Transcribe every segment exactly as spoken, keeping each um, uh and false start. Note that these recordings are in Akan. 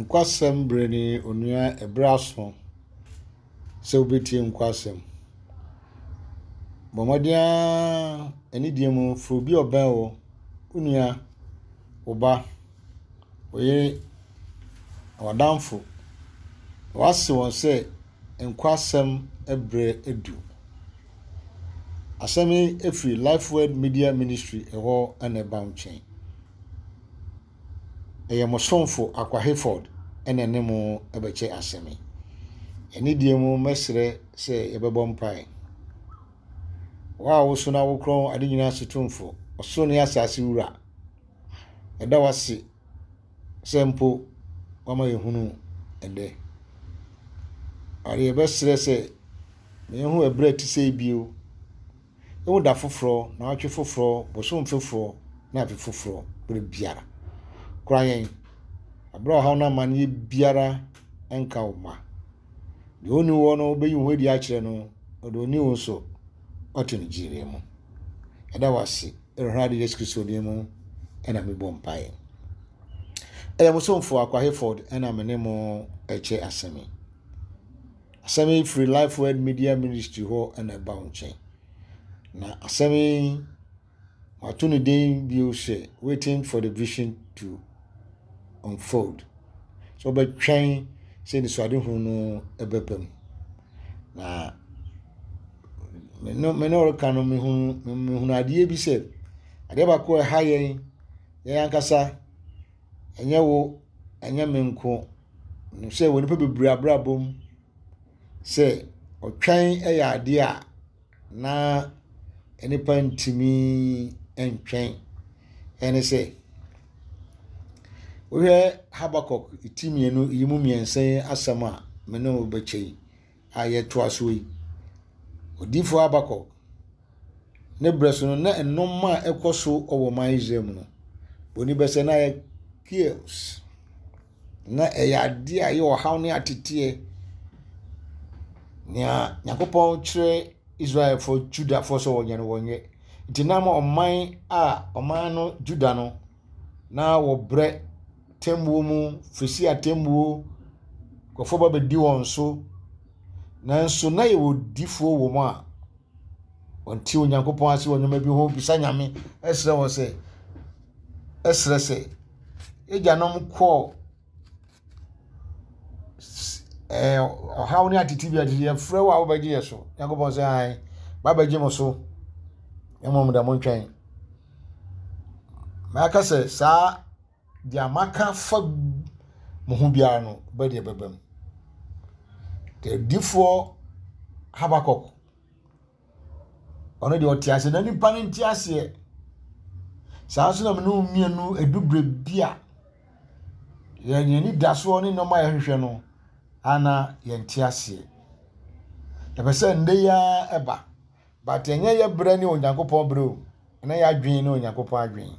Nkwasɛm berɛ ni onua ɛberɛ aso sɛ wobɛtie nkwasɛm. Bɔ mmɔden ara anidie mu frɛ obi a ɔbɛn wo, wo nua, wo ba, wo yere, w'adamfo. Na woase wɔn sɛ nkwasɛm berɛ adu. Asɛm yi firi Life Word Media Ministry ɛhɔ na ɛba wo nkyɛn. Ɛyɛ mo somfo Akwa Hayford ɛna ɛne mo bɛkyɛ asɛm yi. Anidie mu mɛsrɛ sɛ yɛbɛbɔ mpae. Wo a woso na wokorɔn ade nyinaa so tumfo, ɔsoro ne asase wura, ɛda wo ase sɛ mpo wama yɛhunu ɛnnɛ. Ade yɛbɛsrɛ sɛ ma yɛnhu ɛberɛ a ɛte sɛ yi bio. Yɛhu da foforɔ, naawɔtwe foforɔ, bosom foforɔ na afe foforɔ berɛ biara. Kora yɛn, aberɛ a ɔhaw no amanneɛ biara nka wo mma. Deɛ ɔnni wɔ no wobɛyi wo ho adi akyerɛ no, ɔde ɔni wo nso ɔte no gyere mu. Ɛda wo ase, Awurade Yesu Kristo din mu ɛna mebɔ mpaeɛ. Ɛyɛ mo somfo Akwa Hayford ɛna me ne mo ɛkyɛ asɛm yi. Asɛm yi firi Life Word Media Ministry hɔ ɛna ɛba wo nkyɛn. Na asɛm yi wato ne din bio sɛ waiting for the vision to unfold. So wobɛtwɛn sɛ anisoadehunu no ɛbɛba mu. Na me ne me ne ɔreka no mehunu mehunu adeɛ bi sɛ adeɛ baako a ɛha yɛn yɛn ankasa ɛnyɛ wo ɛnyɛ me nko nim sɛ wɔ nipa bebree abrabɔ mu sɛ ɔtwɛn yɛ adeɛ a na nipa ntumi ntwɛn ɛne sɛ wohwɛ Habakuk ti mmienu yi mu mmiɛnsa yi asɛm a me ne wo bɛkyɛ yi a yɛtoa so yi odiyifoɔ Habakuk ne berɛ so no na nneɛma a ɛkɔ so wɔ ɔman Israel mu no oni bɛsɛ na ayɛ chaos na ɛyɛ adeɛ a ɛyɛ ɔhaw ne ateteɛ nea Nyankopɔn kyerɛ Israelfoɔ Judafoɔ sɛ wɔnyɛ no wɔnyɛ nti nam ɔman a ɔman no Juda no na wɔbrɛ temmuo mu fesi atemmuo nkurɔfoɔ ba bɛdi wɔn so nanso na yɛwɔ difoɔ wɔ mu a wɔnte Onyankopɔn ase wɔ nneɛma bi ho bisa Nyame ɛsrɛ wɔn sɛ ɛsrɛ sɛ agyanom kɔɔ ɛɛ ɔhaw ne atete bi atete yɛfrɛ wo a wobɛgye yɛ so Nyankopɔn sɛ ae babɛgye mo so mmom da mo ntwɛn maka sɛ saa deɛ maka fa mo ho biara no bɛdeɛ bɛba mu deɛ difoɔ Habakuk ɔno deɛ ɔte ase na nipa no nte aseɛ saa nso na mene wo mmienu eduberɛ bi a yɛn yɛn ani da soɔ ne nneɛma a yɛhwehwɛ no ana yɛnte aseɛ yɛpɛ sɛ nnɛ yi ara ɛba but ɛnyɛ yɛ berɛ ne Onyankopɔn berɛ o ɛnɛ yɛ adwene ne Onyankopɔn adwene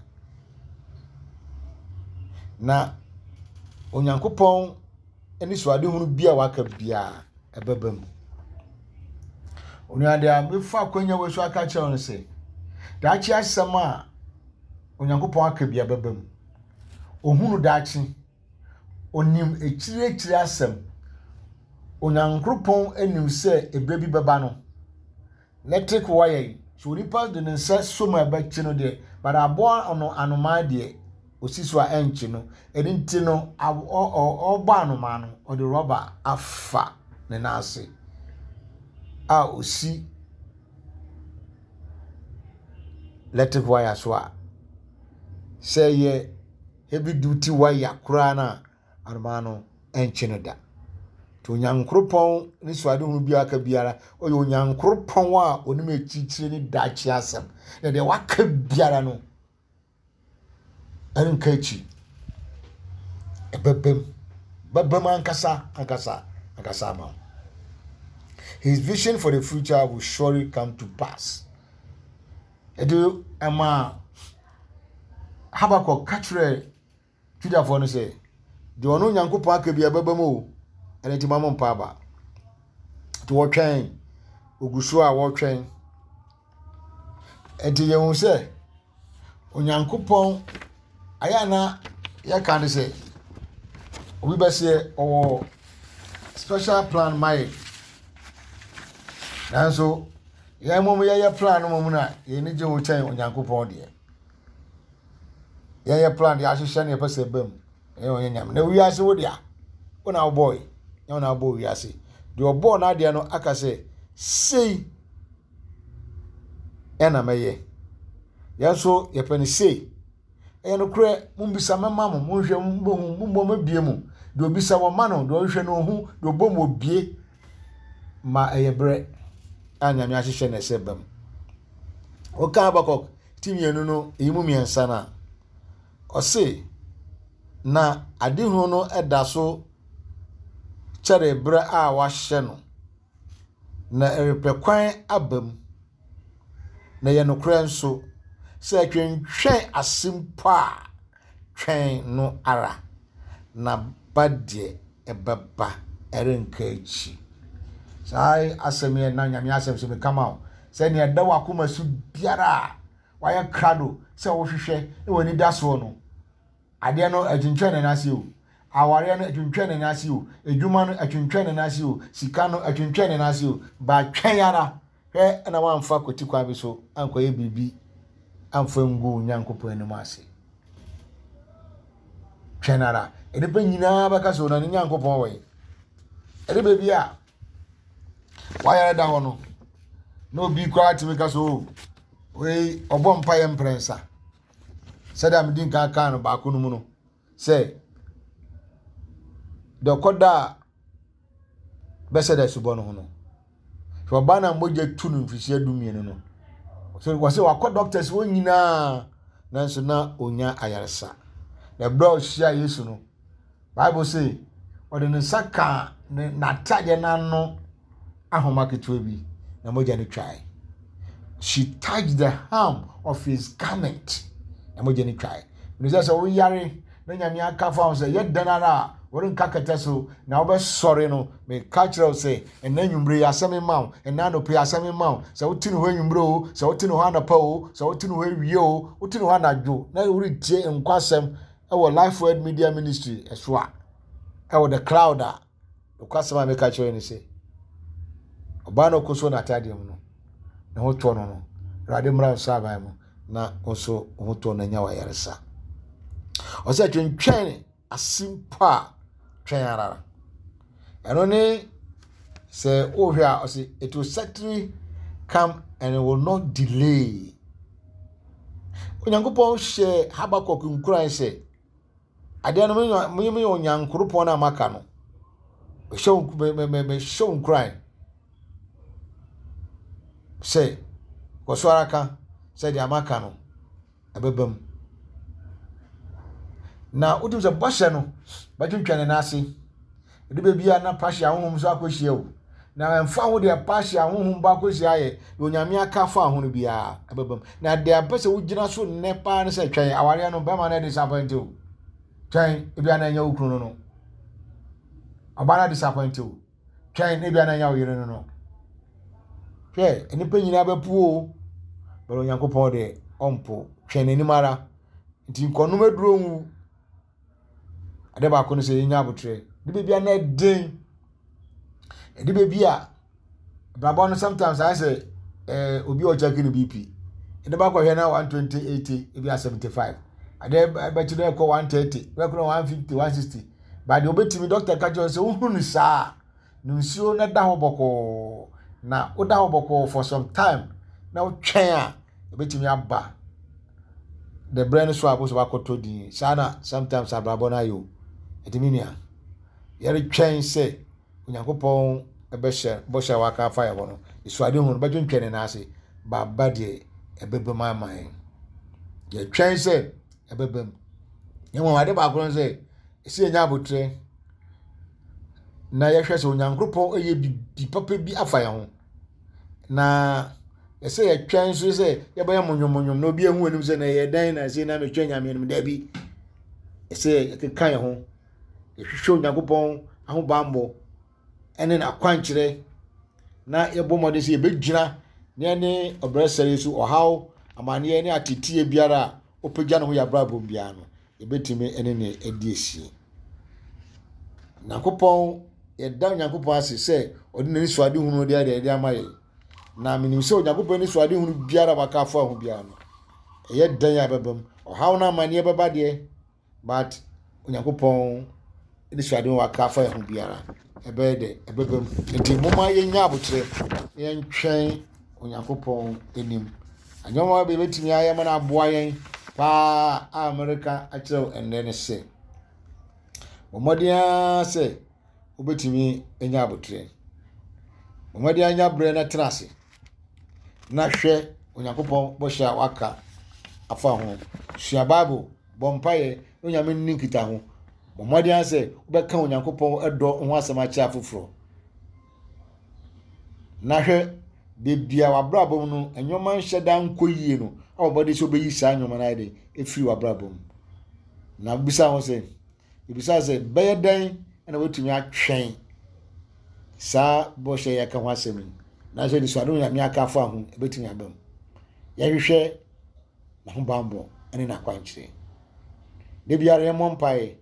na Onyankopɔn ani soadehunu bi a waka biara ɛbɛba mu onua deɛ a mefa akonnwa wɔ so aka kyerɛ no sɛ daakye asɛm a Onyankopɔn aka bi ɛbɛba mu ohunu daakye onim akyiriakyiri asɛm Onyankopɔn anim sɛ ebere bi bɛba no electric wire yi so onipa de ne nsa so mu a ɛbɛkye no deɛ but aboa ɔno anomaa deɛ osi so a ɛnkye no ɛno nti no ɔbɔ anomaa no ɔde rɔba afa ne nan ase a osi electric wire so a sɛ yɛ heavy duty wire koraa no a anomaa no ɛnkye no da nti Onyankoropɔn ne soadehunu bi aka biara ɔyɛ Onyankoropɔn a onim akyirikyiri ne daakye asɛm na deɛ waka biara no ɛnka akyi ɛbɛbɛm bɛbɛm ankasa ankasa ankasa ama wo his vision for the future will surely come to pass ɛde ɛma Habakuk ka kyerɛ Judafoɔ no sɛ deɛ ɔno Onyankopɔn aka bi ɛbɛbɛm o ɛno nti ma mo mpa aba nti wɔtwɛn ogu so a wɔretwɛn nti yɛhu sɛ Onyankopɔn ayɛ ana yɛka ne sɛ Obi bɛseɛ ɔwɔ special plan ma yɛ. Nanso yɛn mmom yɛyɛ plan no mmom na yɛn ani gye ho kyɛn Onyankopɔn deɛ. Yɛyɛ plan deɛ ahyehyɛ no yɛpɛ sɛ ɛba mu. Ɛyɛ ɔnyɛ Nyame. Na wiase wo dea, wo na wobɔe. Nyɛ wo na wobɔɔ wiase. Deɛ ɔbɔɔ n'adeɛ no aka sɛ, sei ɛna mɛyɛ. Yɛn nso yɛpɛ no sei. Ɛyɛ nokorɛ, mommisa mɛma mo, monhwɛ mobɛhu, mommɔ mɛbie mo. Deɛ obisa wɔma no, deɛ ɔhwehwɛ no ɔhu, deɛ ɔbɔ mu obie. Ma ɛyɛ berɛ a Nyame ahyehyɛ na ɛsɛ ba mu. Woka Habakuk ti mmienu no, ɛyi mu mmiɛnsa no a, ɔse, na adehunu no da so kyɛre berɛ a wahyɛ no, na ɛrepɛ kwan aba mu. Na ɛyɛ nokorɛ nso, sɛ ɛtwentwɛn ase mpo a, twɛn no ara, na ba deɛ ɛbɛba, ɛrenka akyi. Saa asɛm yi na Nyame asɛm so meka ma wo, sɛ nea ɛda w'akoma so biara a wayɛ krado sɛ wohwehwɛ na w'ani da soɔ no, adeɛ no ɛtwentwɛn ne nan ase o. Awareɛ no ɛtwentwɛn ne nan ase o. Adwuma no ɛtwentwɛn ne nan ase o. Sika no ɛtwentwɛn ne nan ase o. Ba twɛn ara. Hwɛ na wamfa kwati kwan bi so ankɔyɛ biribi amfa ngu Onyankopɔn anim ase. Twɛn ara. Nnipa nyinaa bɛka sɛ ɔna ne Nyankopɔn wɔ yi. Ɛde baabi a wayare da hɔ no, na obi koraa tumi ka sɛ o, wei ɔbɔ mpaeɛ mprɛnsa. Sɛdeɛ medi nkan kaa no baako no mu no, sɛ deɛ ɔkɔda a bɛsɛ dɛ asubɔ no ho no, hwɛ ɔbaa na mogya tu no mfirihyia du mmienu no, so wɔsɛ wakɔ doctors wɔn nyinaa, nanso na onya ayaresa. Na ɛberɛ a ɔhyia Yesu no, Bible say ɔde ne nsa kaa ne n'atadeɛ n'ano ahoma ketewa bi na mogya no twae. She touched the hem of his garment na mogya no twae. Ɛno sɛ sɛ woyare na Nyame aka fa ho sɛ yɛ dan ara a wɔrenka kɛtɛ so na wobɛsɔre no, meka kyerɛ wo sɛ ɛnɛ anwummere yi asɛm ma wo, ɛnɛ anɔpa yi asɛm ma wo. Sɛ wote ne hɔ anwummere o, sɛ wote ne hɔ anɔpa o, sɛ wote ne hɔ awie o, wote ne hɔ anadwo na woretie nkwasɛm ɛwɔ Life Word Media Ministry ɛso a, ɛwɔ the cloud a, nokwasɛm a meka kyerɛ ne sɛ ɔbaa no ɔkɔ so n'atadeɛ mu no, ne ho tɔ no no, Awurade mmra nso aban mu na nso ho tɔ no anya wayaresa. Ɔsɛ twentwɛn ase mpo a, twɛn ara. Ɛno ne sɛ wohwɛ a, ɔsɛ it will certainly come and it will not delay. Onyankopɔn hyɛ Habakuk nkuran sɛ adeɛ no meyɛ Onyankoropɔn a maka no, mehyɛ wo nkuran sɛ kɔ so ara ka sɛ deɛ maka no ɛbɛba mu. Na wotum sɛ bɔhyɛ no bɛtwentwɛn ne nan ase. Ɛde baabi a na pahyɛ ahohom so akɔhyia o. Na ɛmfa ho deɛ pahyɛ ahohom ba akɔhyia ayɛ, deɛ Onyame aka fa ho no biara ɛbɛba mu. Na deɛ apɛ sɛ wogyina so nnɛ paa ne sɛ twɛn awareɛ no, bɛrima no disappoint o. Twɛn ebia na ɛnyɛ wo kunu no no. Ɔbaa no disappoint o. Twɛn ebia na ɛnyɛ wo yere no no. Hwɛ, nnipa nyinaa bɛpo o. Bɛrɛ Onyankopɔn deɛ ɔmpo. Twɛn n'anim ara. Nti nkɔnom aduro nwu. Ade baako no sɛ yɛnya abotire. De baabi a na ɛden. Ɛde baabi a abrabɔ no sometimes ayɛ sɛ ɛɛ obi a ɔkyɛke ne B P. Ɛde ba kɔhwɛ na one twenty eighty, ebi a seventy five. Ade bɛkyi no ɛkɔ one thirty, bɛkɔ no one fifty, one sixty. But deɛ obetumi doctor ka kyerɛ sɛ wohunu no saa no nsuo na da hɔ bɔkɔɔ, na woda hɔ bɔkɔɔ for some time na wotwɛn a, ebetumi aba the brɛ no so a bosɔ bakɔtɔ din. Saa na sometimes abrabɔ no ayɛ o. Ɛti mi nua, yɛretwɛn sɛ Onyankopɔn ɛbɛhyɛ bɔhyɛ a waka afa yɛ hɔ no, esuade ho no bɛtwentwɛn ne nan ase, baaba deɛ ɛbɛba mu ama yɛn. Yɛtwɛn sɛ ɛbɛba mu. Mmom ade baako no sɛ esi yɛnya abotire na yɛhwɛ sɛ Onyankopɔn ɛyɛ bibi papa bi afa yɛn ho, na ɛsɛ yɛtwɛn nso sɛ yɛbɛyɛ monyomonyom na obi ehu anim sɛ na ɛyɛ dɛn na ɛsɛ na metwɛn Nyame anim. Daabi, ɛsɛ yɛkeka yɛn ho, yɛhwehwɛ Onyankopɔn ahobammɔ ɛne n'akwankyerɛ na yɛbɔ mmɔden sɛ yɛbɛgyina na yɛne ɔbrɛsɛre yi so ɔhaw, amanneɛ ne ateteɛ biara a ɔpagya ne ho yɛ abrabɔ biara no, yɛbɛtumi ɛne ne adi asie. Nyankopɔn, yɛda Onyankopɔn ase sɛ ɔde n'ani so ade hunu de ayɛ de ama yɛn. Na menim sɛ Onyankopɔn ani so ade hunu biara waka afa ho biara no, ɛyɛ dan a ɛbɛba mu. Ɔhaw no amanneɛ bɛba deɛ, but Onyankopɔn ani so ade hunu waka afa ho biara, ɛbɛyɛ dɛ, ɛbɛba mu. Nti momma yɛnya abokyerɛ na yɛntwɛn Onyankopɔn anim. Nneɛma bi bɛtumi ayɛ ma no aboa yɛn paa a Amerika akyerɛ wo ɛnnɛ ne sɛ, bɔ mmɔden ara sɛ wobɛtumi anya abotrɛ. Bɔ mmɔden anya berɛ na tena ase na hwɛ Onyankopɔn bɔhyɛ a waka afa ho. Sua Bible, bɔ mpaeɛ na Onyame nni nkitaho. Bɔ mmɔden ara sɛ wobɛka Onyankopɔn dɔ ho asɛm akyerɛ afoforɔ. Na hwɛ beebi a w'abrabɔ mu no nneɛma nhyɛ da nkɔ yie no, a wɔbɔde sɛ wobɛyi saa nneɛma no ayɛ de efiri w'abrabɔ mu. Na bisa ho sɛ, ebisa sɛ bɛyɛ dɛn na watumi atwɛn saa bɔhyɛ yɛ ka ho asɛm yi, nanso anisoade Nyame aka afa ho ebɛtumi aba mu. Yɛhwehwɛ n'ahobammɔ ne n'akwankyerɛ. Da biara yɛmmɔ mpaeɛ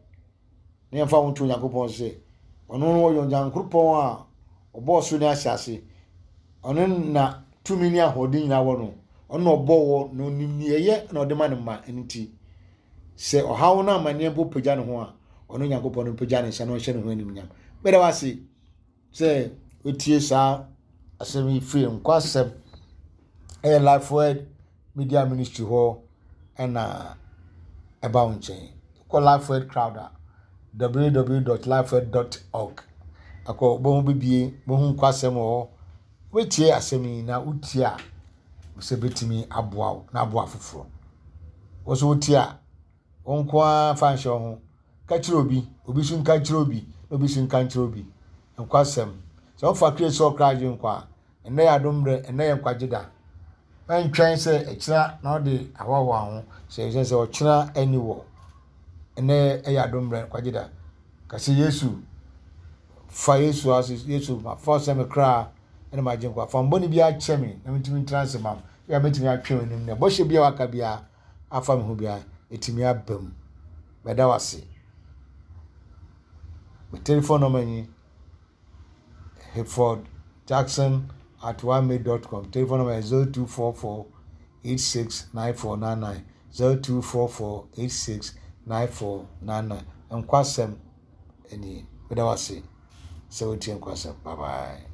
na yɛmfa ho nto Onyankopɔn sɛ ɔno no ɔyɛ Onyankopɔn a ɔbɔɔ soro ne asase. Ɔno na tumi ne ahoɔden nyinaa wɔ no. Ɔno na ɔbɔɔ wɔ na onim nea ɛyɛ na ɔde ma ne mma. Ɛno nti sɛ ɔhaw no amanneɛ mpo pagya ne ho a, ɔno Nyankopɔn no mpagya ne nsa na ɔnhyɛ ne ho animuonyam. Mɛda wo ase sɛ wotie saa asɛm yi firi Nkwasɛm ɛyɛ Life Word Media Ministry hɔ ɛna ɛba wo nkyɛn. Kɔ Life Word Crowd a w w w dot lifeword dot org akɔ bɔhu bibie, bɔhu nkwasɛm wɔ hɔ. Wotie asɛm yi na wotie a, sɛ bɛtumi aboa wo na aboa foforɔ. Wo nso wotie a, wo nko ara fa nhyɛ wo ho. Ka kyerɛ obi, obi nso nka nkyerɛ obi, na obi nso nka nkyerɛ obi. Nkwasɛm. Sɛ wofa Kristo sɛ ɔkra agye nkwa a, ɛnnɛ yɛ adom berɛ, ɛnnɛ yɛ nkwagye da. Mɛntwɛn sɛ ɛkyena na ɔde ahoahoa ho, sɛ ɛsɛ sɛ ɔkyena ani wɔ. Ɛnnɛ ɛyɛ adom berɛ, nkwagye da. Ka sɛ Yesu, fa Yesu ase, Yesu ma fa sɛ me kra ɛna ma gye nkwa. Fa mbɔne bi akyɛ me na mentumi ntena ase ma wo. Yɛ a mɛtumi atwe w'anim na bɔhyɛ bi a waka biara afa me ho biara ɛtumi aba mu. Mɛda wo ase. Me telephone number ni Hayford Jackson at onemail dot com. Telephone number is zero two four four eight six nine four nine nine, zero two four four eight six nine four nine nine. Nkwasɛm nie. Mɛda wo ase sɛ wotie Nkwasɛm. Bye bye.